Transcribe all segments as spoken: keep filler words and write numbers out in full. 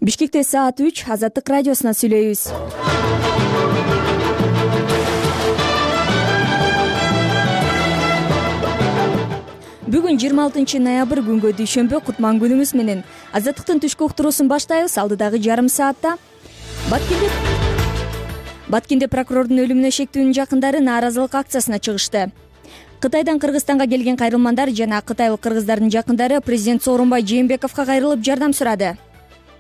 Бишкекте саат үч, Азаттык радиосуна сүйлөйбүз. Бүгүн жыйырма алтынчы ноябрь күнгө дүйшөмбү, кутман күнүңүз менен. Азаттыктын түшкү уктуруусун баштайбыз. Алдыдагы жарым саатта Баткенде Баткенде прокурордун өлүмүнө шектүүнүн жакындары нааразылык акциясына чыгышты. Кытайдан Кыргызстанга келген кайрылмандар жана кытайлык кыргыздардын жакындары президент Сооронбай Жээнбековго кайрылып жардам сурады.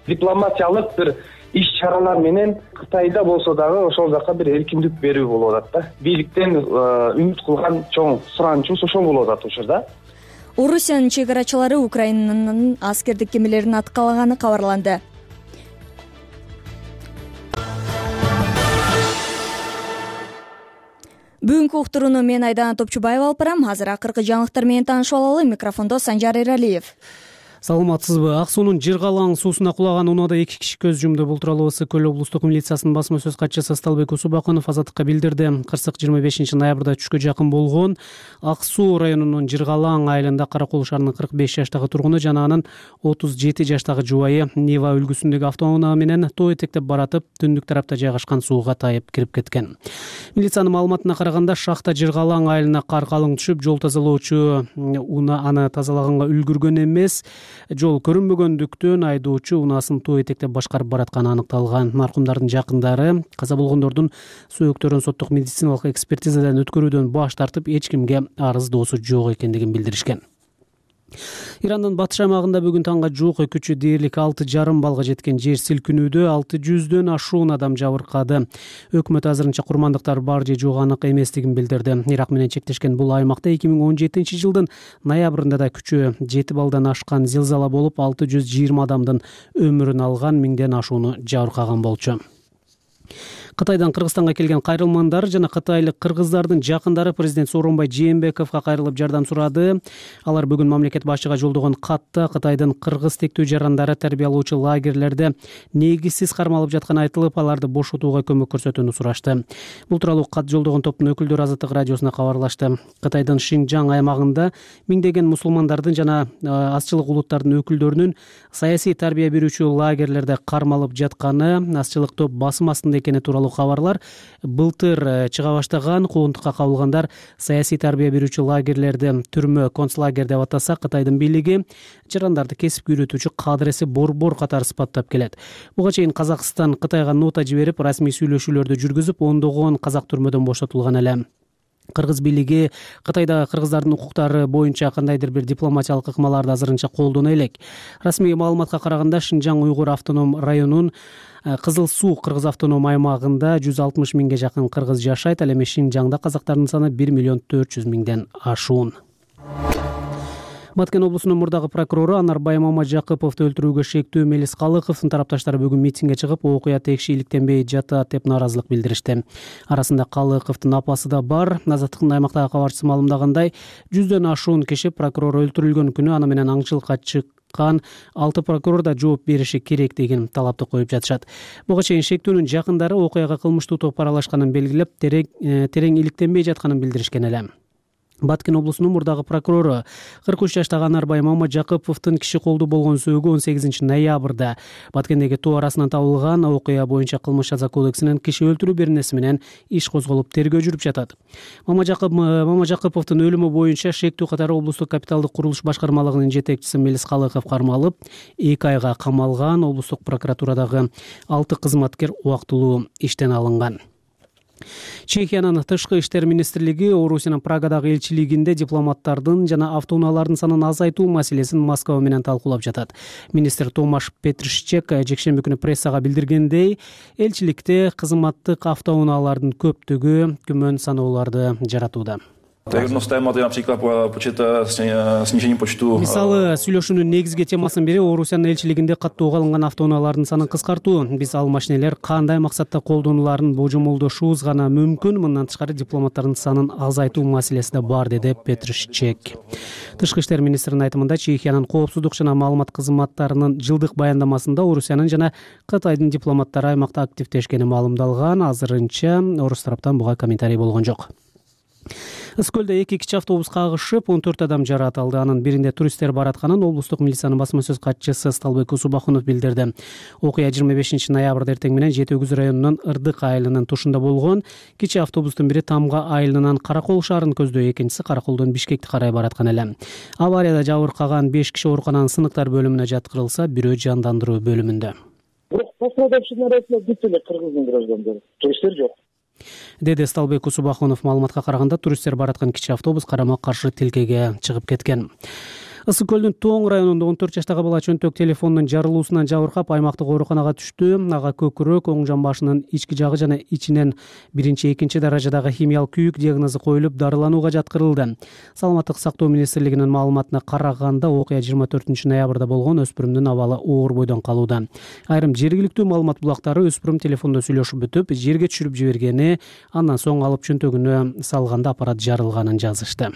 Дипломатиялык бир иш-чаралар менен Кытайда болсо дагы ошол жака бир эркиндик берүү болуп атат да. Бийликтен үмүт кылган чоң суранычыбыз ошол болуп атат учурда. Орусиянын чек-арачылары Украинанын аскердик кемелерин аткалаганы кабарланды. Бүгүнкү уктурууну мен Айдана Топчубаева алып барам. Азыр акыркы жаңылыктар менен таанышып алалы. Микрофондо Санжар Эралиев. Саламатсызбы? Ак суунун Жыргалаң суусуна кулаган унаада эки киши көз жумду. Бул тууралуу Ысык көл облустук милициясынын басма сөз катчысы Сталбек Усубакынов Азаттыкка билдирди. Кырсык жыйырма бешинчи ноябрда түшкө жакын болгон Ак суу районунун Жыргалаң айылында Каракол шаарынын кырк беш жаштагы тургуну жана анын отуз жети жаштагы жубайы Нива үлгүсүндөгү автоунаа менен тоо этектеп баратып, түндүк тарапта жайгашкан сууга тайып кирип кеткен. Милициянын маалыматына караганда, шахта Жыргалаң айылына кар калың түшүп, жол тазалоочу унаа аны тазалаганга үлгүргөн эмес. Жол көрүнбөгөндүктөн айдоочу унаасын тоо этектеп башкарып баратканы аныкталган. Маркумдардын жакындары каза болгондордун сөөктөрүн соттук медициналык экспертизадан өткөрүүдөн баш тартып, эч кимге арыздоосу жок экендигин билдиришкен. Ирандын батыш аймагында бүгүн таңга жук күчү дээрлик алты жарым балга жеткен жер силкинүүдө алты жүздөн ашуун адам жабыркады. Өкмөт азырынча курмандыктар бар же жок анык эместигин билдирди. Ирак менен чектешкен бул аймакта эки миң он жетинчи жылдын ноябрында да күчү жети балдан ашкан зилзала болуп, алты жүз жыйырма адамдын өмүрүн алган, миңден ашууну жабыркаган болчу. Кытайдан Кыргызстанга келген кайрылмандар жана кытайлык кыргыздардын жакындары президент Сооронбай Жээнбековго кайрылып жардам сурады. Алар бүгүн мамлекет башчыга жолдогон катта Кытайдын кыргыз тектүү жарандары тарбиялоочу лагерлерде негизсиз кармалып жатканы айтылып, аларды бошотууга көмөк көрсөтүүнү сурашты. Бул тууралуу кат жолдогон топтун өкүлдөрү Азаттык радиосуна кабарлашты. Кытайдын Шинжаң аймагында миңдеген мусулмандардын жана азчылык улуттардын өкүлдөрүнүн саясий тарбия берүүчү лагерлерде кармалып жатканы, азчылык топ басым астында экени тууралуу кабарлар былтыр чыга баштаган. Куугунтукка кабылгандар саясий тарбия берүүчү лагерлерди түрмө, концлагер деп атаса, Кытайдын бийлиги жарандарды кесипке үйрөтүүчү кадыреси борбор катары сыпаттап келет. Буга чейин Казакстан Кытайга нота жиберип, расмий сүйлөшүүлөрдү жүргүзүп, ондогон казак түрмөдөн бошотулган эле. Кыргыз бийлиги Кытайдагы кыргыздардын укуктары боюнча кандайдыр бир дипломатиялык ыкмаларды азырынча колдоно элек. Расмий маалыматка караганда, Шинжаң уйгур автоном районунун Кызыл суу кыргыз автоном аймагында жүз алтымыш миңге жакын кыргыз жашайт. Ал эми Шинжаңда казактардын саны бир миллион төрт жүз миңден ашуун. Баткен облусунун мурдагы прокурору Анарбай Мамажакыповду өлтүрүүгө шектүү Мелис Калыковдун тарапташтары бүгүн митингге чыгып, окуя текши иликтенбей жатат деп нааразылык билдиришти. Арасында Калыковдун апасы да бар. Азаттыктын аймактагы кабарчысы маалымдагандай, жүздөн ашуун киши прокурор өлтүрүлгөн күнү аны менен аңчылыкка чыккан, алты прокурор да жооп бериши керек деген талапты коюп жатышат. Буга чейин шектүүнүн жакындары окуяга кылмыштуу топ аралашканын белгилеп, терең иликтенбей жатканын билдиришкен эле. Баткен облусунун мурдагы прокурору кырк үч жаштагы Анарбай Мамажакыповдун киши колдуу болгон сөөгү он сегизинчи ноябрда Баткендеги тоо арасынан табылган. Окуя боюнча кылмыш жаза кодексинин киши өлтүрүү беренеси менен иш козголуп, тергөө жүрүп жатат. Мамажакыповдун өлүмү боюнча шектүү катары облустук капиталдык курулуш башкармалыгынын жетекчиси Мелис Калыков кармалып, эки айга камалган. Облустук прокуратурадагы алты кызматкер убактылуу иштен алынган. Чехиянын тышкы иштер министрлиги Орусиянын Прагадагы элчилигинде дипломаттардын жана автоунаалардын санын азайтуу маселесин Москва менен талкуулап жатат. Министр Томаш Петришчек жекшемби күнү прессага билдиргендей, элчиликте кызматтык автоунаалардын көптүгү күмөн санооларды жаратууда. Мисалы, сүйлөшүүнүн негизги темасынын бири Орусиянын элчилигинде каттоого алынган автоунаалардын санын кыскартуу. Биз ал машинелер кандай максатта колдонуларын божомолдошубуз гана мүмкүн. Мындан тышкары дипломаттардын санын азайтуу маселеси да бар, деди Петришчек. Тышкы иштер министринин айтымында, Чехиянын коопсуздук жана маалымат кызматтарынын жылдык баяндамасында Орусиянын жана Кытайдын дипломаттары аймакта активдешкени маалымдалган. Азырынча орус тараптан буга комментарий болгон жок. Ысык көлдө эки кичи автобус кагышып он төрт адам жаракат алды. Анын биринде туристтер баратканын облустук милициянын басма сөз катчысы Сталбек Усубахунов билдирди. Окуя жыйырма бешинчи ноябрда эртең менен Жети Өгүз районунун Ырдык айылынын тушунда болгон. Кичи автобустун бири Тамга айылынан Каракол шаарын көздөй, экинчиси Караколдон Бишкекти карай бараткан эле. Аварияда жабыркаган беш киши оорукананын сыныктар бөлүмүнө жаткырылса, бирөө жандандыруу бөлүмүндө. Бирок пострадавшийдин арасында бүт эле кыргыздын граждандары, туристтер жок, деди Сталбек Усубахунов. Маалыматка караганда, туристтер бараткан кичи автобус карама каршы тилкеге чыгып кеткен. Ысык көлдүн Тоң районунда он төрт жаштагы бала чөнтөк телефонунун жарылуусунан жабыркап аймактык ооруканага түштү. Ага көкүрөк, оң жан башынын ички жагы жана ичинен биринчи, экинчи даражадагы химиялык күйүк диагнозу коюлуп, дарыланууга жаткырылды. Саламаттык сактоо министрлигинин маалыматына караганда, окуя жыйырма төртүнчү ноябрда болгон. Өспүрүмдүн абалы оор бойдон калууда. Айрым жергиликтүү маалымат булактары өспүрүм телефондо сүйлөшүп бүтүп, жерге түшүрүп жибергени, андан соң алып чөнтөгүнө салганда аппарат жарылганын жазышты.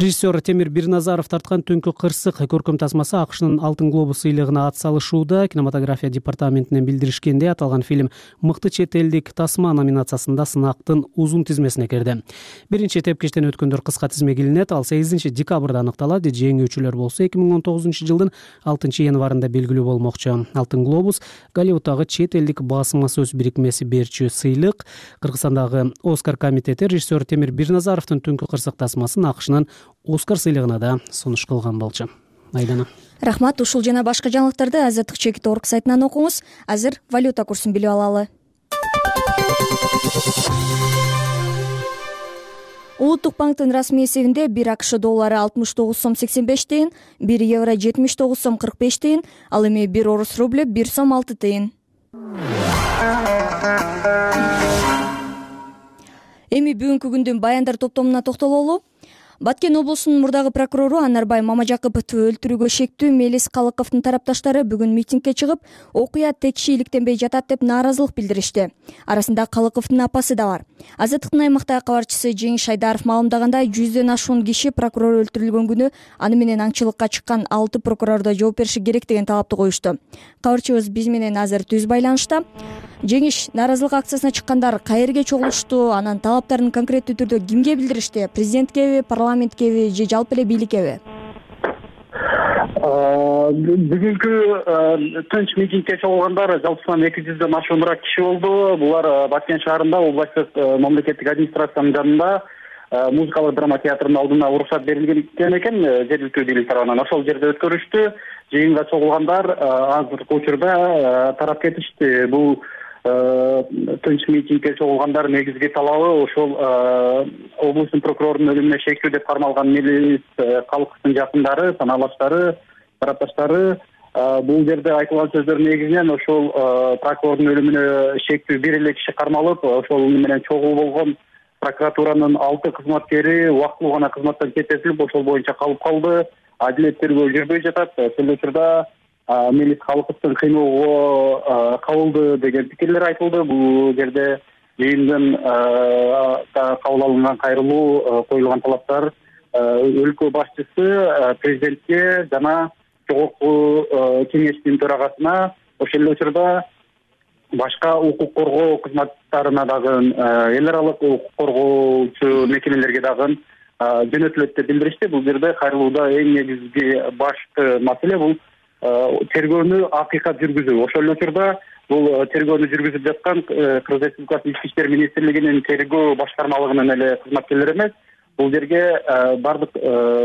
Режиссер Темир Бирназаров тарткан Түнкү кырсык көркөм тасмасы АКШнын Алтын глобус сыйлыгына ат салышууда. Кинематография департаментинен билдиришкендей, аталган фильм мыкты чет элдик тасма номинациясында сынактын узун тизмесине кирди. Биринчи тепкичтен өткөндөр кыска тизмеге илинет. Ал сегизинчи декабрда аныкталат. Жеңүүчүлөр болсо эки миң он тогузунчу жылдын алтынчы январында белгилүү болмокчу. Алтын глобус Голливудтагы чет элдик басма сөз бирикмеси берчү сыйлык. Кыргызстандагы Оскар комитети режиссер Темир Бирназаровдун Түнкү кырсык тасмасын АКШнын Оскар сыйлыгына да сунуш кылган болчу. Айдана. Рахмат. Ушул жана башка жаңылыктарды азаттык чекит орг сайтынан окуңуз. Азыр валюта курсун билип алалы. Улуттук банктын расмий эсебинде бир АКШ доллары алтымыш тогуз сом сексен беш тыйын, бир евро жетимиш тогуз сом кырк беш тыйын, ал эми бир орус рубль бир сом алты тыйын. Эми бүгүнкү күндүн баяндар топтомуна токтололу. Баткен облусунун мурдагы прокурору Анарбай Мамажакыповду өлтүрүүгө шектүү Мелис Калыковдун тарапташтары бүгүн митингге чыгып, окуя текши иликтенбей жатат деп нааразылык билдиришти. Арасында Калыковдун апасы да бар. Азаттыктын аймактагы кабарчысы Жеңиш Шайдаров маалымдагандай, жүздөн ашуун киши прокурор өлтүрүлгөн күнү аны менен аңчылыкка чыккан алты прокурор да жооп бериши керек деген талапты коюшту. Кабарчыбыз биз менен азыр түз байланышта. Жеңиш, нааразылык акциясына чыккандар каерге чогулушту, анан талаптарын конкреттүү түрдө кимге билдиришти? Президенткеби, парламенткеби же жалпы эле бийликкеби? Бүгүнкү тынч митингге чогулгандар жалпысынан эки жүздөн ашууныраак киши болду. Булар Баткен шаарында областтык мамлекеттик администрациянын жанында музыкалык драма театрынын алдына уруксат берилген экен жергиликтүү бийлик тарабынан. Ошол жерде өткөрүштү. Жыйынга чогулгандар азыркы учурда тарап кетишти. Бул тынч митингге чогулгандар негизги талабы ошол облустун прокурорунун өлүмүнө шектүү деп кармалган Мелис Калыковдун жакындары, санаалаштары, тарапташтары. Бул жерде айтылган сөздөр негизинен ошол прокурордун өлүмүнө шектүү бир эле киши кармалып, ошол менен чогуу болгон прокуратуранын алты кызматкери убактылуу гана кызматтан кетирилип, ошол боюнча калып калды. Адилет тергөө жүрбөй жатат. Ошол учурда Мелис Калыковдун кыйноого кабылды деген пикирлер айтылды. Бул жерде жыйындын кабыл алынган кайрылуу, коюлган талаптар өлкө башчысы, президентке жана жогорку кеңештин төрагасына, ошол эле учурда башка укук коргоо кызматтарына дагы, эл аралык укук коргоочу мекемелерге дагы жөнөтүлөт деп билдиришти. Бул жерде кайрылууда эң негизги башкы маселе бул тергөөнү акыйкат жүргүзүү. Ошол эле учурда бул тергөөнү жүргүзүп жаткан Кыргыз Республикасынын Ички иштер министрлигинин тергөө башкармалыгынын эле кызматкерлери эмес, бул жерге бардык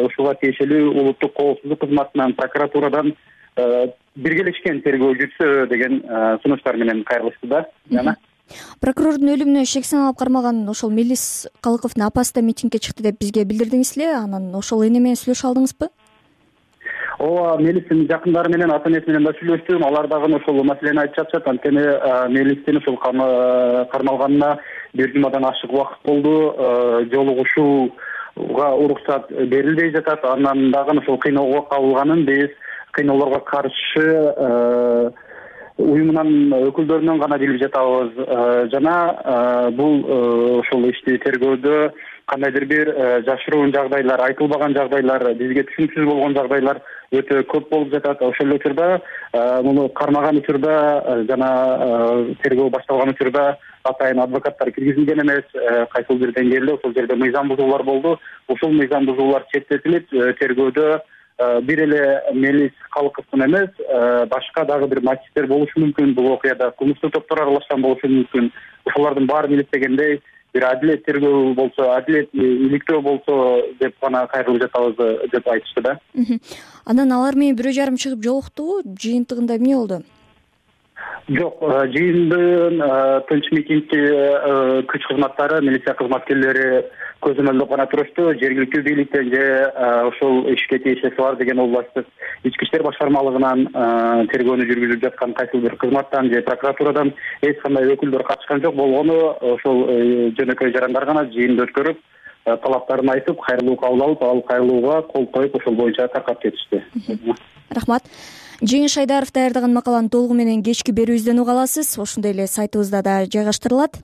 ушуга тиешелүү улуттук коопсуздук кызматынан, прокуратурадан биргелешкен тергөө жүрсө деген сунуштар менен кайрылышты да. Жана прокурордун өлүмүнө шек саналып кармаган ошол Мелис Калыковдун апасы да митингге чыкты деп бизге билдирдиңиз эле. Анан ошол эне менен сүйлөшө алдыңызбы? Ооба, Мелистин жакындары менен, ата энеси менен да сүйлөштүм. Алар дагы ошол маселени айтып жатышат. Анткени Мелистин ошол кармалганына бир жумадан ашык убакыт болду. Жолугушууга уруксат берилбей жатат. Андан дагы ошол кыйноого кабылганын биз кыйноолорго каршы уюмунан өкүлдөрүнөн гана билип жатабыз. Жана бул ошол ишти тергөөдө кандайдыр бир жашыруун жагдайлар, айтылбаган жагдайлар, бизге түшүнүксүз болгон жагдайлар өтө көп болуп жатат. Ошол учурда муну кармаган учурда жана тергөө башталган учурда атайын адвокаттар киргизилген эмес, кайсыл бир деңгээлде ошол жерде мыйзам бузуулар болду. Ушул мыйзам бузуулар четтетилип, тергөөдө бир эле Мелис Калыковдун эмес, башка дагы бир мотивдер болушу мүмкүн. Бул окуяда кылмыштуу топтор аралашкан болушу мүмкүн. Ошолордун баарын иликтегендей бир адилет тергөө болсо, адилет иликтөө болсо деп гана кайрылып жатабыз деп айтышты да. Анан алар менен бирөө жарым чыгып жолуктубу? Жыйынтыгында эмне болду? Жок, жыйындын тынч митингти күч кызматтары, милиция кызматкерлери көзөмөлдөп гана турушту. Жергиликтүү бийликтен же ошол ишке тиешеси бар деген областтык ички иштер башкармалыгынан тергөөнү жүргүзүп жаткан кайсыл бир кызматтан же прокуратурадан эч кандай өкүлдөр катышкан жок. Болгону ошол жөнөкөй жарандар гана жыйынды өткөрүп, талаптарын айтып, кайрылуу кабыл алып, ал кайрылууга кол коюп, ошол боюнча таркап кетишти. Рахмат. Жеңиш Айдаров даярдаган макаланы толугу менен кечки берүүбүздөн уга аласыз. Ошондой эле сайтыбызда да жайгаштырылат.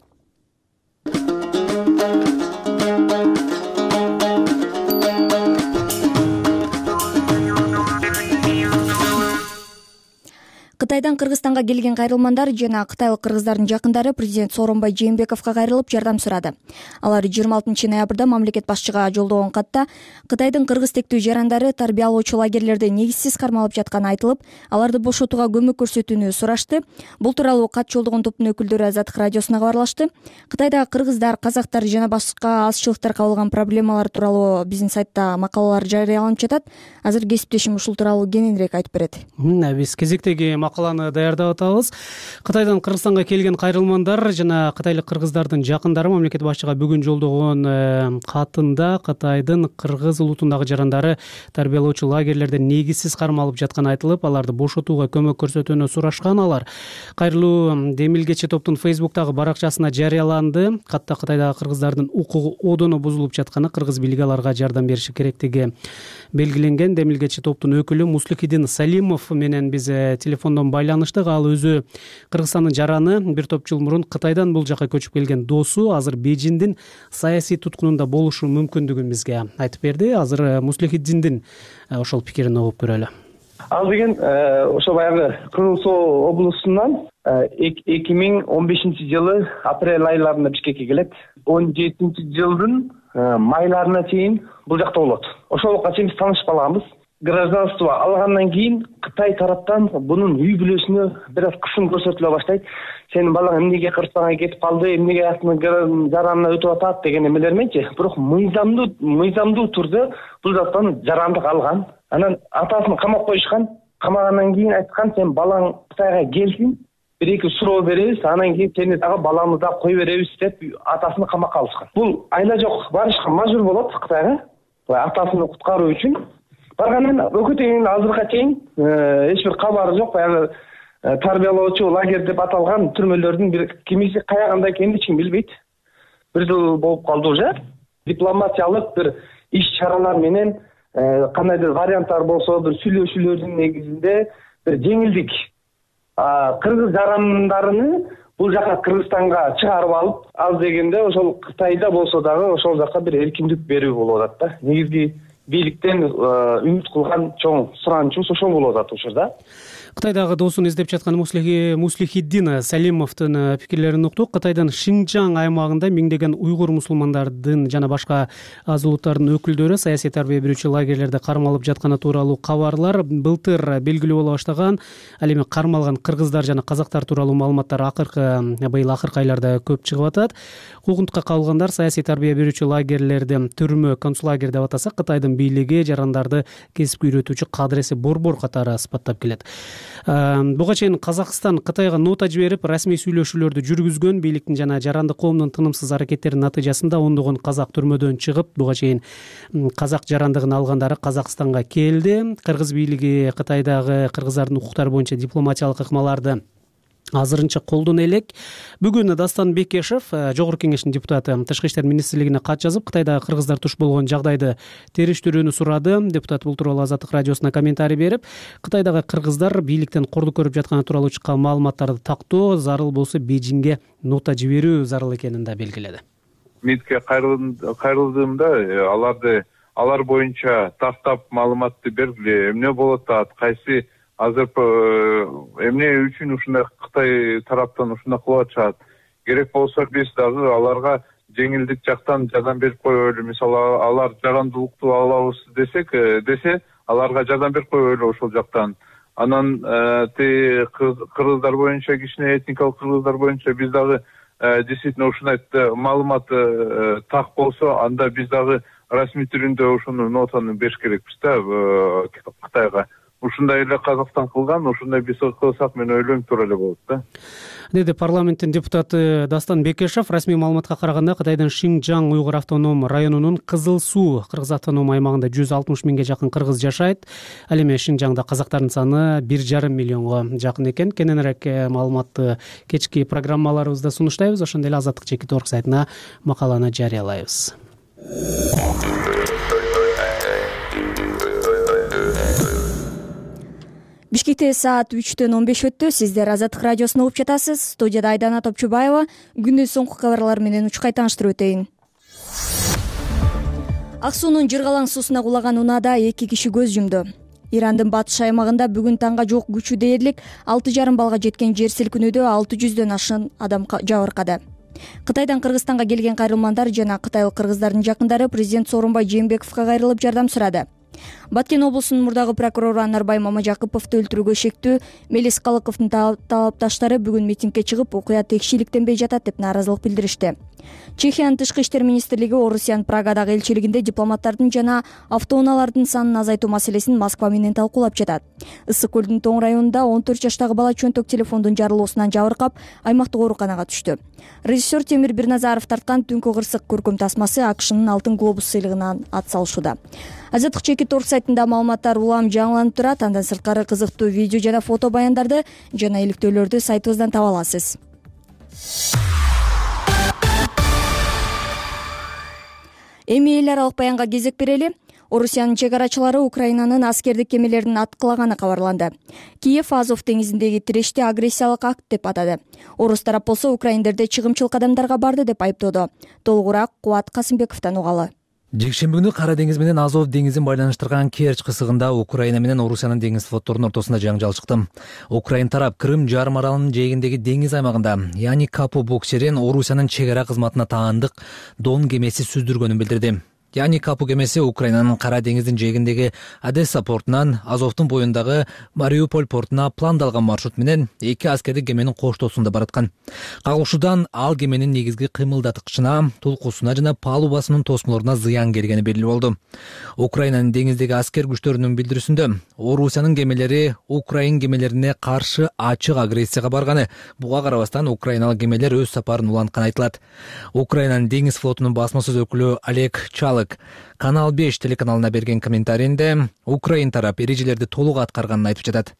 Кытайдан Кыргызстанга келген кайрылмандар жана кытайлык кыргыздардын жакындары президент Сооронбай Жээнбековго кайрылып жардам сурады. Алар жыйырма алтынчы ноябрда мамлекет башчыга жолдогон катта Кытайдын кыргыз тектүү жарандары тарбиялоочу лагерлерде негизсиз кармалып жатканы айтылып, аларды бошотууга көмөк көрсөтүүнү сурашты. Бул тууралуу кат жолдогон топтун өкүлдөрү Азаттык радиосуна кабарлашты. Кытайдагы кыргыздар, казактар жана башка азчылыктар кабылган проблемалар тууралуу биздин сайтта макалалар жарыяланып жатат. Азыр кесиптешим ушул тууралуу кененирээк айтып берет. Биз кезектеги макаланы даярдап атабыз. Кытайдан Кыргызстанга келген кайрылмандар жана кытайлык кыргыздардын жакындары мамлекет башчыга бүгүн жолдогон катында Кытайдын кыргыз улутундагы жарандары тарбиялоочу лагерлерде негизсиз кармалып жатканы айтылып, аларды бошотууга көмөк көрсөтүүнү сурашкан. Алар кайрылуу демилгечи топтун Фейсбуктагы баракчасына жарыяланды. Катта Кытайдагы кыргыздардын укугу одону бузулуп жатканы, кыргыз бийлиги аларга жардам бериши керектиги белгиленген. Демилгечи топтун өкүлү Муслихиддин Салимов менен биз телефондон байланыштык. Ал өзү Кыргызстандын жараны, бир топ жыл мурун Кытайдан бул жака көчүп келген досу азыр Бейжиңдин саясий туткунунда болушу мүмкүндүгүн бизге айтып берди. Азыр Муслихиддиндин ошол пикирин угуп көрөлү. Ал деген ошо баягы Кыргыз Соо облусунан эки миң он бешинчи жылы апрель айларында Бишкекке келет. он жетинчи жылдын майларына чейин бул жакта болот. Ошолукка чейин биз таанышып калганбыз. Гражданство алгандан кийин Кытай тараптан бунун үй бүлөсүнө бир аз кысым көрсөтүлө баштайт. Сенин балаң эмнеге Кыргызстанга кетип калды, эмнеге астын жаранына өтүп атат деген эмелер мененчи. Бирок мыйзамдуу мыйзамдуу турда бул жактан жарандык алган. Анан атасын камап коюшкан. Камагандан кийин айткан, сен балаң Кытайга келсин, бир эки суроо беребиз, анан кийин сени дагы балаңды да кой беребиз деп атасын камакка алышкан. Бул айла жок барышка мажбур болот Кытайга, атасын куткаруу үчүн. Баргандан өкүтүнүн азыркыга чейин эч бир кабары жок. Баягы тарбиялоочу лагерь деп аталган түрмөлөрдүн бир кимиси каягында экенин эч ким билбейт. Бир жыл болуп калды уже. Дипломатиялык бир иш-чаралар менен кандайдыр варианттар болсо, бир сүйлөшүүлөрдүн негизинде бир жеңилдик кыргыз жарандарыны бул жака Кыргызстанга чыгарып алып, аз дегенде ошол Кытайда болсо дагы ошол жака бир эркиндик берүү болуп атат да. Негизги бийликтен үмүт кылган чоң суранычыбыз ошол болуп атат учурда. Кытайдагы досун издеп жаткан Муслихиддин Салимовдун пикирлерин уктук. Кытайдын Шинжаң аймагында миңдеген уйгур мусулмандардын жана башка аз улуттардын өкүлдөрү саясий тарбия берүүчү лагерлерде кармалып жатканы тууралуу кабарлар былтыр белгилүү боло баштаган. Ал эми кармалган кыргыздар жана казактар тууралуу маалыматтар акыркы быйыл акыркы айларда көп чыгып атат. Куугунтукка кабылгандар саясий тарбия берүүчү лагерлерди түрмө, концлагерь деп атаса, Кытайдын бийлиги жарандарды кесипке үйрөтүүчү кадреси борбор катары сыпаттап келет. Буга чейин Казакстан Кытайга нота жиберип, расмий сүйлөшүүлөрдү жүргүзгөн. Бийликтин жана жарандык коомдун тынымсыз аракеттеринин натыйжасында ондогон казак түрмөдөн чыгып, буга чейин казак жарандыгын алгандары Казакстанга келди. Кыргыз бийлиги Кытайдагы кыргыздардын укуктары боюнча дипломатиялык ыкмаларды азырынча колдоно элек. Бүгүн Дастан Бекешев, Жогорку Кеңештин депутаты, Тышкы иштер министрлигине кат жазып, Кытайдагы кыргыздар туш болгон жагдайды териштирүүнү сурады. Депутат бул тууралуу Азаттык радиосуна комментарий берип, Кытайдагы кыргыздар бийликтен кордук көрүп жатканы тууралуу чыккан маалыматтарды тактоо, зарыл болсо Бейжиңге нота жиберүү зарыл экенин да белгиледи. мидке кайрылдыымда аларды алар боюнча тактап маалыматты бергиле, эмне болуп атат, кайсы азыр эмне үчүн ушундай Кытай тараптан ушундай кылып атышат, керек болсо биз дагы аларга жеңилдик жактан жардам берип коелу, мисалы алар жарандуулукту алабыз десек десе аларга жардам берип коелу ошол жактан. Анан те кыргыздар боюнча, кичине этникалык кыргыздар боюнча биз дагы действительно ушундай маалымат так болсо, анда биз дагы расмий түрүндө ошону нотаны бериш керекпиз да Кытайга. Ушундай эле Казакстан кылган, ушундай биз кылсак мен ойлойм туура эле болот да. Деди парламенттин депутаты Дастан Бекешев. Расмий маалыматка караганда Кытайдын Шинжаң уйгур автоном районунун Кызыл Суу кыргыз автоном аймагында жүз алтымыш миңге жакын кыргыз жашайт. Ал эми Шинжаңда казактардын саны бир жарым миллионго жакын экен. Кененирээк маалыматты кечки программаларыбызда сунуштайбыз. Ошондой эле Азаттык чекит орг сайтына макаланы жарыялайбыз. Бишкекте саат үчтөн он беш өттү. Сиздер Азаттык радиосун угуп жатасыз. Студияда Айдана Топчубаева. Күндүн соңку кабарлары менен учкай тааныштырып өтөйүн. Ак суунун жыргалаң суусуна кулаган унаада эки киши көз жумду. Ирандын батыш аймагында бүгүн таңга жок күчү дээрлик алты жарым балга жеткен жер силкинүүдө алты жүздөн ашын адам жабыркады. Кытайдан Кыргызстанга келген кайрылмандар жана кытайлык кыргыздардын жакындары президент Сооронбай Жээнбековго кайрылып жардам сурады. Баткен облусунун мурдагы прокурору Анарбай Мамажакыповду өлтүрүүгө шектүү Мелис Калыковдун талапташтары бүгүн митингге чыгып, окуя текшиликтенбей жатат деп нааразылык билдиришти. Чехиянын тышкы иштер министрлиги Орусиянын Прагадагы элчилигинде дипломаттардын жана автоунаалардын санын азайтуу маселесин Москва менен талкуулап жатат. Ысык көлдүн Тоң районунда он төрт жаштагы бала чөнтөк телефондун жарылуусунан жабыркап, аймактык ооруканага түштү. Режиссер Темир Бирназаров тарткан Түнкү кырсык көркөм тасмасы АКШнын Алтын глобус сыйлыгынан ат салышууда. Азаттык чекит орг сайтында маалыматтар улам жаңыланып турат. Андан сырткары кызыктуу видео жана фото баяндарды жана иликтөөлөрдү сайтыбыздан таба аласыз. Эми эл аралык баянга кезек берели. Орусиянын чек арачылары Украинанын аскердик кемелерин аткылаганы кабарланды. Киев Азов деңизиндеги тирешти агрессиялык акт деп атады. Орус тарап болсо украиндерде чыгымчыл кадамдарга барды деп айыптоодо. Толугураак Кубат Касымбековдон угалы. Жекшемби күнү Кара деңиз менен Азов деңизин байланыштырган Керчь кысыгында Украина менен Орусиянын деңиз флотторунун ортосунда жаңжал чыкты. Украин тарап Крым жарым аралынын жээгиндеги деңиз аймагында Яни Капу буксерин Орусиянын чек ара кызматына таандык Дон кемеси сүздүргөнүн билдирди. Яни Капу кемеси Украинанын Кара деңиздин жээгиндеги Одесса портунан Азовдун боюндагы Мариуполь портуна пландалган маршрут менен эки аскердик кеменин коштоосунда бараткан. Кагылышуудан ал кеменин негизги кыймылдаткычына, тулкусуна жана палубасынын тосмолоруна зыян келгени белгилүү болду. Украинанын деңиздеги аскер күчтөрүнүн билдирүүсүндө Орусиянын кемелери Украин кемелерине каршы ачык агрессияга барганы, буга карабастан украиналык кемелер өз сапарын улантканы айтылат. Украинанын деңиз флотунун басма сөз өкүлү Олег Чалык Канал беш телеканалына берген комментарийинде Украин тарап эрежелерди толук аткарганын айтып жатат.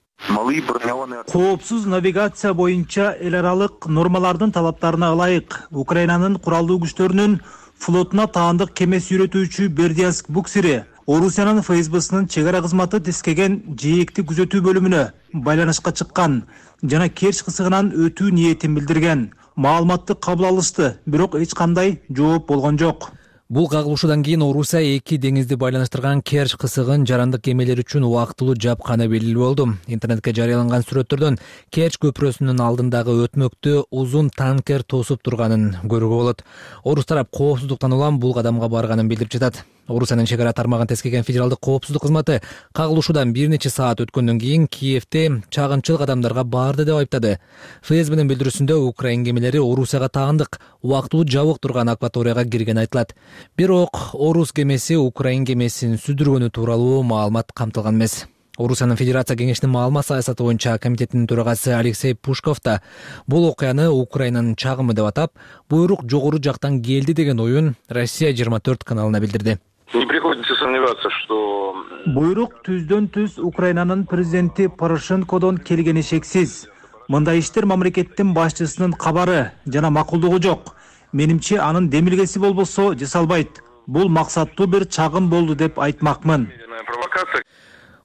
Коопсуз навигация боюнча эл аралык нормалардын талаптарына ылайык Украинанын куралдуу күчтөрүнүн флотуна таандык кеме сүйрөтүүчү Бердянск буксери Орусиянын эф эс бсынын чек ара кызматы тескеген жээкти күзөтүү бөлүмүнө байланышка чыккан жана Керчь кысыгынан өтүү ниетин билдирген. Маалыматты кабыл алышты, бирок эч кандай жооп болгон жок. Бул кагылышуудан кийин Орусия эки деңизди байланыштырган Керчь кысыгын жарандык кемелер үчүн убактылуу жапканы белгилүү болду. Интернетке жарыяланган сүрөттөрдөн Керчь көпүрөсүнүн алдындагы өтмөктү узун танкер тосуп турганын көрүүгө болот. Орус тарап коопсуздуктан улам бул кадамга барганын билдирип жатат. Орусиянын чек ара тармагын тескеген федералдык коопсуздук кызматы кагылышуудан бир нече саат өткөндөн кийин Киевде чагынчыл кадамдарга барды деп айыптады. эф эс бнын билдирүүсүндө Украин кемелери Орусияга таандык убактылуу жабык турган акваторияга киргени айтылат. Бирок Орус кемеси Украин кемесин сүздүргөнү тууралуу маалымат камтылган эмес. Орусиянын Федерация кеңешинин маалымат саясаты боюнча комитетинин төрагасы Алексей Пушков да бул окуяны Украинанын чагымы деп атап, буйрук жогору жактан келди деген оюн Россия жыйырма төрт каналына билдирди. Не приходится сомневаться, что буйрук түздөн түз Украинанын президенти Порошенкодон келгени шексиз. Мындай иштер мамлекеттин башчысынын кабары жана макулдугу жок. Менимче анын демилгеси болбосо жасалбайт. Бул максаттуу бир чагым болду деп айтмакмын.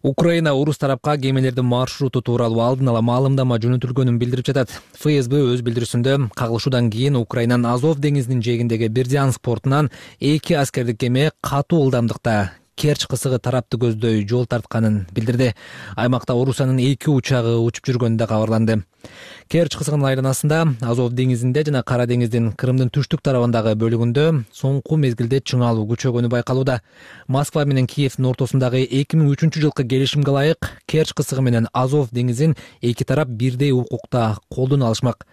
Украина орус тарапка кемелердин маршруту тууралуу алдын ала маалымдама жөнөтүлгөнүн билдирип жатат. эф эс бэ өз билдирүүсүндө кагылышуудан кийин Украинанын Азов деңизинин жээгиндеги Бердянск портунан эки аскердик кеме катуу ылдамдыкта Керч кысыгы тарапты көздөй жол тартканын билдирди. Аймакта Орусиянын эки учагы учуп жүргөнү да кабарланды. Керч кысыгынын айланасында Азов деңизинде жана Кара деңиздин Крымдын түштүк тарабындагы бөлүгүндө соңку мезгилде чыңалуу күчөгөнү байкалууда. Москва менен Киевдин ортосундагы эки миң үчүнчү жылкы келишимге ылайык Керч кысыгы менен Азов деңизин эки тарап бирдей укукта колдоно алышмак.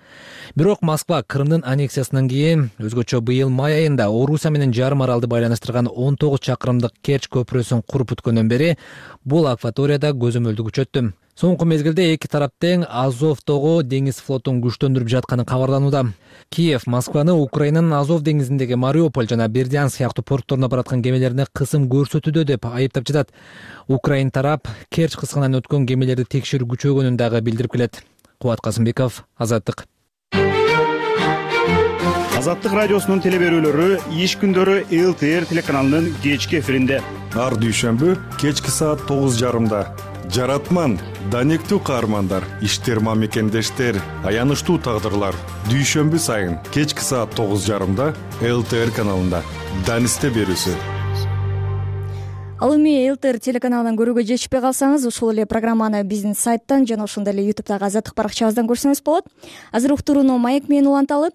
Бирок Москва Крымдын аннексиясынан кийин өзгөчө быйыл май айында Орусия менен жарым аралды байланыштырган он тогуз чакырымдык Керч көпүрөсүн куруп бүткөндөн бери бул акваторияда көзөмөлдү күчөттү. Соңку мезгилде эки тарап тең Азовдогу деңиз флотун күчтөндүрүп жатканы кабарланууда. Киев Москваны Украинанын Азов деңизиндеги Мариуполь жана Бердянск сыяктуу портторуна бараткан кемелерине кысым көрсөтүүдө деп айыптап жатат. Украин тарап Керч кысыгынан өткөн кемелерди текшерүү күчөгөнүн дагы билдирип келет. Кубат Касымбеков, Азаттык. Азаттык радиосунун теле берүүлөрү иш күндөрү эл тэ эр телеканалынын кечки эфиринде. Ар дүйшөмбү кечки саат тогуз жарымда. Жаратман, данектүү каармандар, иштер мамекендештер, аянычтуу тагдырлар. Дүйшөмбү сайын кечки саат тогуз жарымда эл тэ эр каналында. Данисте берүүсү. Ал эми эл тэ эр телеканалынан көрүүгө жетишпей калсаңыз, ушул эле программаны биздин сайттан жана ошондой эле ютубтагы Азаттык баракчабыздан көрсөңүз болот. Азыр уктурууну маек менен уланталы.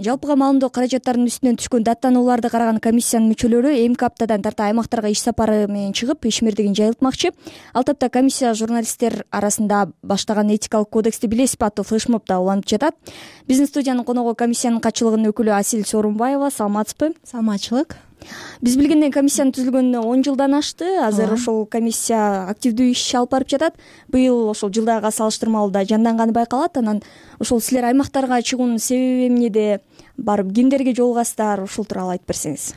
Жалпыга маалымдоо каражаттарынын үстүнөн түшкөн даттанууларды караган комиссиянын мүчөлөрү эмки аптадан тарта аймактарга иш сапары менен чыгып, ишмердигин жайылтмакчы. Ал тапта комиссия журналисттер арасында баштаган этикалык кодексти билесизби аттуу флешмобто уланып жатат. Биздин студиянын коногу комиссиянын катчылыгынын өкүлү Асил Сооронбаева. Саламатсызбы? Саламатчылык. Биз билгенден комиссиянын түзүлгөнүнө он жылдан ашты. Азыр ошол комиссия активдүү иш алып барып жатат. Быйыл ошол жылдагыга салыштырмалуу да жанданганы байкалат. Анан ошол силер аймактарга чыгуунун себеби эмнеде, барып кимдерге жолугасыздар, ушул тууралуу айтып берсеңиз.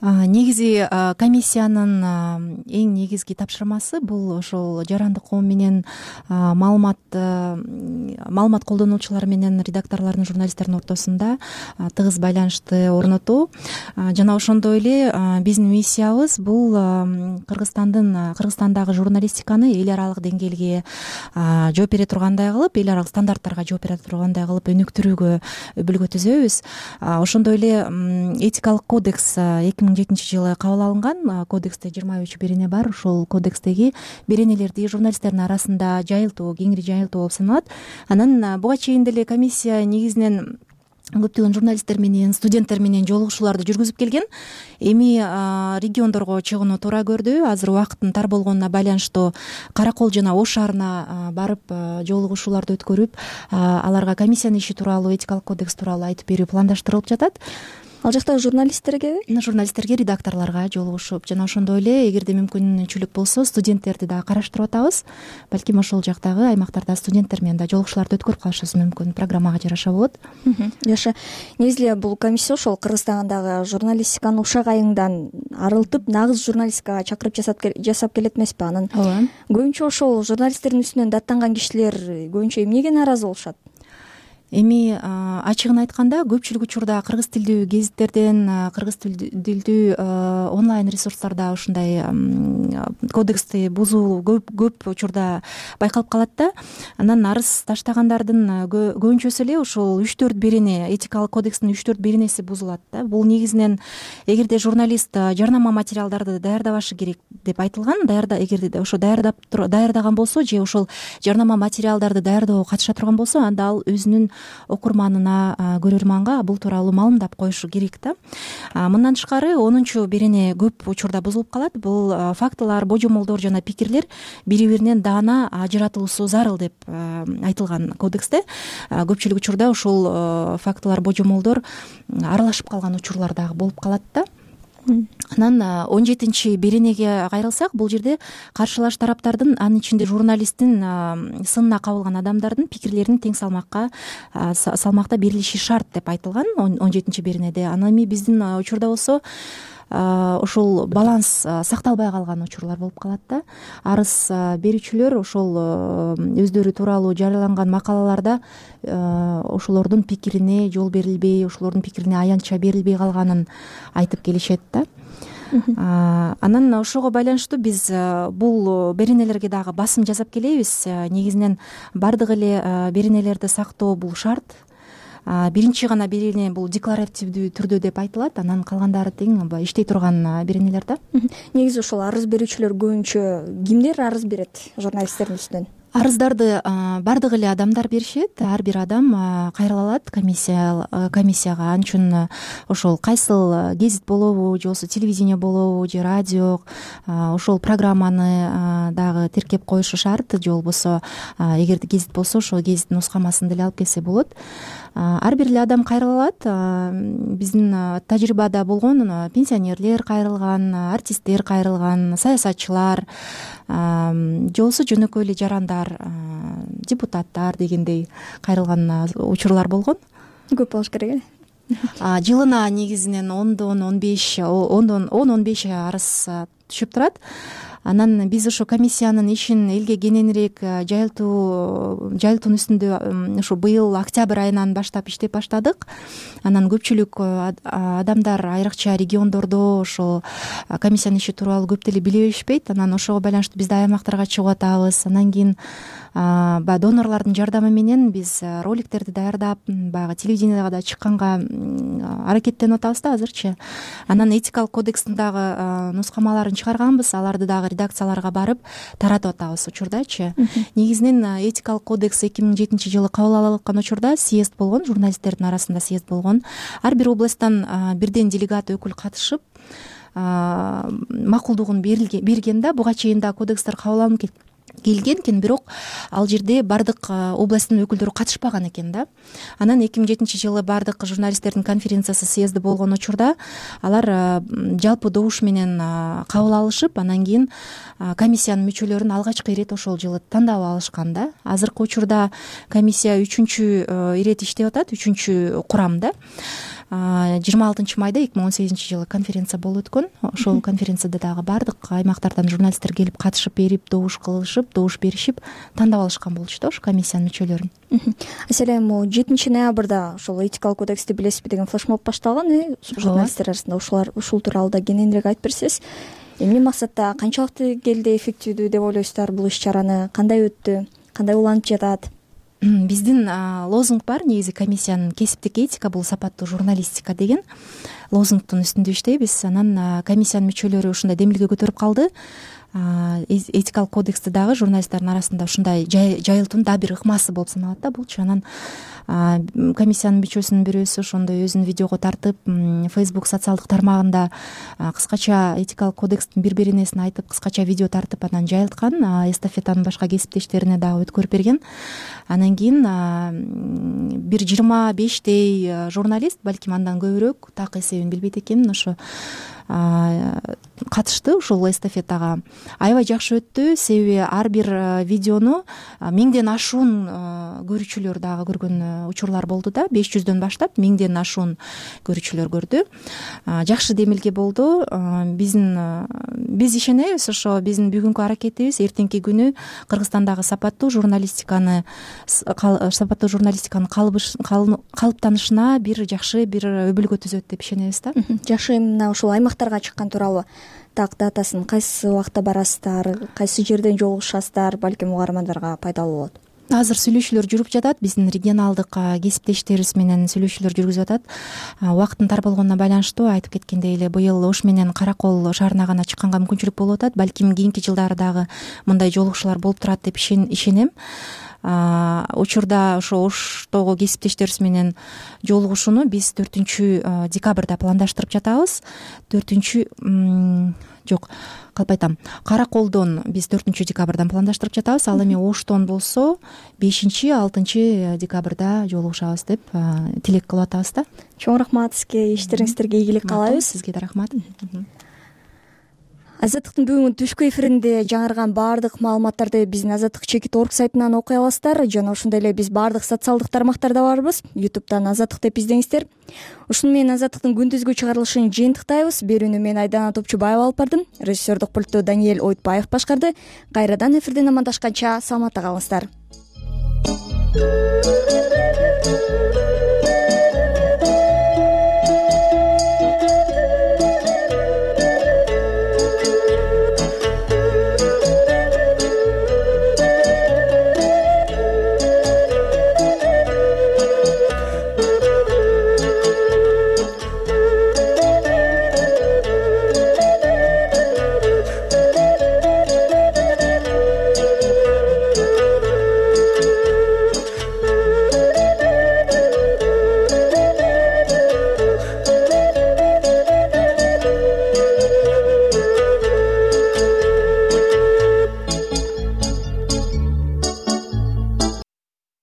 Негизи комиссиянын эң негизги тапшырмасы бул ошол жарандык коом менен маалымат маалымат колдонуучулар менен редакторлордун, журналисттердин ортосунда тыгыз байланышты орнотуу жана ошондой эле биздин миссиябыз бул Кыргызстандын Кыргызстандагы журналистиканы эл аралык деңгээлге жооп бере тургандай кылып, эл аралык стандарттарга жооп бере тургандай кылып өнүктүрүүгө өбүлгө түзөбүз. Ошондой эле этикалык кодекс эки миң жетинчи жылы кабыл алынган. Кодексте жыйырма үч берене бар. Ошол кодекстеги беренелерди журналисттердин арасында жайылтуу, кеңири жайылтуу болуп саналат. Анан буга чейин деле комиссия негизинен көптөгөн журналисттер менен, студенттер менен жолугушууларды жүргүзүп келген. Эми региондорго чыгууну туура көрдү. Азыр убакыттын тар болгонуна байланыштуу Каракол жана Ош шаарына барып жолугушууларды өткөрүп, аларга комиссиянын иши тууралуу, этикалык кодекс тууралуу айтып берүү пландаштырылып жатат. Ал жактагы журналисттерге, журналисттерге, редакторлорго жолугушуп, жана ошондой эле эгерде мүмкүнчүлүк болсо студенттерди да караштырып атабыз. Балким ошол жактагы аймактарда студенттер менен да жолугушууларды өткөрүп калышыбыз мүмкүн. Программага жараша болот. Жаша. Негизи эле бул комиссия ошол Кыргызстандагы журналистиканы ушак айыңдан арылтып, нагыз журналистикага чакырып жасап келет эмеспи? Анан көбүнчө ошол журналисттердин үстүнөн даттанган кишилер көбүнчө эмнеге нааразы болушат? Эми ачыгын айтканда көпчүлүк учурда кыргыз тилдүү гезиттерден, кыргыз тилдүү онлайн ресурстарда ушундай кодексти бузуу көп учурда байкалып калат да. Анан арыз таштагандардын көбүнчөсү эле ошол үч төрт берене, этикалык кодекстин үч төрт беренеси бузулат да. Бул негизинен эгерде журналист жарнама материалдарды даярдабашы керек деп айтылган, даярда эгерде ошо даярдап даярдаган болсо же ошол жарнама материалдарды даярдоого катыша турган болсо, анда ал өзүнүн окурманына, көрөрманга бул тууралуу маалымдап коюшу керек да. Мындан тышкары онунчу берене көп учурда бузулуп калат. Бул фактылар, божомолдор жана пикирлер бири-биринен даана ажыратылуусу зарыл деп айтылган кодексте. Көпчүлүк учурда ушул фактылар, божомолдор аралашып калган учурлар дагы болуп калат да. Анан он жетинчи беренеге кайрылсак, бул жерде каршылаш тараптардын, анын ичинде журналисттин сынына кабылган адамдардын пикирлерин тең салмакка салмакта берилиши шарт деп айтылган он жетинчи беренеде. Анан эми биздин учурда болсо ошол баланс сакталбай калган учурлар болуп калат да. Арыз берүүчүлөр ошол өздөрү тууралуу жарыяланган макалаларда ошолордун пикирине жол берилбей, ошолордун пикирине аянтча берилбей калганын айтып келишет да. Анан ошого байланыштуу биз бул беренелерге дагы басым жасап келебиз. Негизинен баардык эле беренелерди сактоо бул шарт. Биринчи гана берене бул декларативдүү түрдө деп айтылат, анан калгандары тең иштей турган беренелер да. Негизи ошол арыз берүүчүлөр көбүнчө кимдер арыз берет журналисттердин үстүнөн? Арыздарды баардык эле адамдар беришет. Ар бир адам кайрыла алат комиссия комиссияга. Ал үчүн ошол кайсыл гезит болобу, же болбосо телевидение болобу, же радио, ошол программаны дагы тиркеп коюшу шарт. Же болбосо эгерде гезит болсо, ошол гезиттин нускамасын деле алып келсе болот. Ар бир эле адам кайрыла алат. Биздин тажрыйбада болгон пенсионерлер кайрылган, артисттер кайрылган, саясатчылар, же болбосо жөнөкөй эле жарандар, депутаттар дегендей кайрылган учурлар болгон. Көп болуш керек э? Жылына негизинен ондон он беш ондон он он беш арыз түшүп турат. Анан биз ошо комиссиянын ишин элге кененирээк жайылтуу жайылтуунун үстүндө ушу быйыл октябрь айынан баштап иштеп баштадык. Анан көпчүлүк адамдар айрыкча региондордо ошол комиссиянын иши тууралуу көп деле биле беришпейт. Анан ошого байланыштуу биз да аймактарга чыгып атабыз. Анан кийин баягы донорлордун жардамы менен биз роликтерди даярдап, баягы телевидениега да чыкканга аракеттенип атабыз да азырчы. Анан этикалык кодекстин дагы нускамаларын чыгарганбыз. Аларды дагы редакцияларга барып таратып атабыз учурдачы. Негизинен этикалык кодекс эки миң жетинчи жылы кабыл алынган учурда съезд болгон, журналисттердин арасында съезд болгон. Ар бир областтан бирден делегат өкүл катышып макулдугун берген да. Буга чейин да кодекстер кабыл алынып келген экен, бирок ал жерде баардык областтын өкүлдөрү катышпаган экен да. Анан эки миң жетинчи жылы баардык журналисттердин конференциясы съезди болгон учурда алар жалпы добуш менен кабыл алышып, анан кийин комиссиянын мүчөлөрүн алгачкы ирет ошол жылы тандап алышкан да. Азыркы учурда комиссия үчүнчү ирет иштеп атат, үчүнчү курам да. жыйырма алтынчы майда эки миң он сегизинчи жылы конференция болуп өткөн. Ошол конференцияда дагы баардык аймактардан журналисттер келип катышып берип, добуш кылышып, добуш беришип, тандап алышкан болчу да ошо комиссиянын мүчөлөрүн. Аселе, могу жетинчи ноябрда ошол этикалык кодексти билесизби деген флешмоб башталган, э? Журналисттер арасында ушулар ушул тууралуу да кененирээк айтып берсеңиз. Эмне максатта, канчалык келди эффективдүү деп ойлойсуздар бул иш-чараны? Кандай өттү? Кандай уланып жатат? Биздин лозунг бар, негизи комиссиянын кесиптик этика бул сапаттуу журналистика деген лозунгдун үстүндө иштейбиз. Анан комиссиянын мүчөлөрү ушундай демилге көтөрүп калды. Этикалык кодексти дагы журналисттердин арасында ушундай жайылтуунун дагы бир ыкмасы болуп саналат да булчу. Анан комиссиянын мүчөсүнүн бирөөсү ошондой өзүн видеого тартып, Facebook социалдык тармагында кыскача этикалык кодекстин бир беренесин айтып, кыскача видео тартып анан жайылткан, эстафетаны башка кесиптештерине дагы өткөрүп берген. Анан кийин бир жыйырма бештей журналист, балким андан көбүрөөк, так эсебин билбейт экенмин, ошо катышты ушул эстафетага. Аябай жакшы өттү, себеби ар бир видеону миңден ашуун көрүүчүлөр дагы көргөн учурлар болду да. беш жүздөн баштап миңден ашуун көрүүчүлөр көрдү. Жакшы демилге болду. Биздин биз ишенебиз, ошо биздин бүгүнкү аракетибиз эртеңки күнү Кыргызстандагы сапаттуу журналистиканы сапаттуу журналистиканын калыптанышына бир жакшы бир өбөлгө түзөт деп ишенебиз да. Жакшы, мына ушул аймактарга чыккан тууралуу так датасын кайсы убакта барасыздар, кайсы жерден жолугушасыздар, балким угармандарга пайдалуу болот. Азыр сүйлөшүүлөр жүрүп жатат, биздин регионалдык кесиптештерибиз менен сүйлөшүүлөр жүргүзүп атат. Убакыттын тар болгонуна байланыштуу айтып кеткендей эле быйыл Ош менен Каракол шаарына гана чыкканга мүмкүнчүлүк болуп атат. Балким кийинки жылдары дагы мындай жолугушуулар болуп турат деп ишенем. Учурда ошо Оштогу кесиптештерибиз менен жолугушууну биз төртүнчү декабрда пландаштырып жатабыз. төртүнчү жок, калп айтам. Караколдон биз төртүнчү декабрдан пландаштырып жатабыз. Ал эми Оштон болсо бешинчи алтынчы декабрда жолугушабыз деп тилек кылып атабыз да. Чоң рахмат сизге, иштериңиздерге ийгилик каалайбыз. Сизге да рахмат. Азаттыктын бүгүнкү түшкү эфиринде жаңырган баардык маалыматтарды биздин Азаттык чекит орг сайтынан окуй аласыздар. Жана ошондой эле биз баардык социалдык тармактарда барбыз. YouTube'дан Азаттык деп издеңиздер. Ушуну менен Азаттыктын күндүзгү чыгарылышын жыйынтыктайбыз. Берүүнү мен Айдана Топчубаева алып бардым. Режиссердик пультту Даниэль Ойтбаев башкарды. Кайрадан эфирден амандашканча саламатта калыңыздар.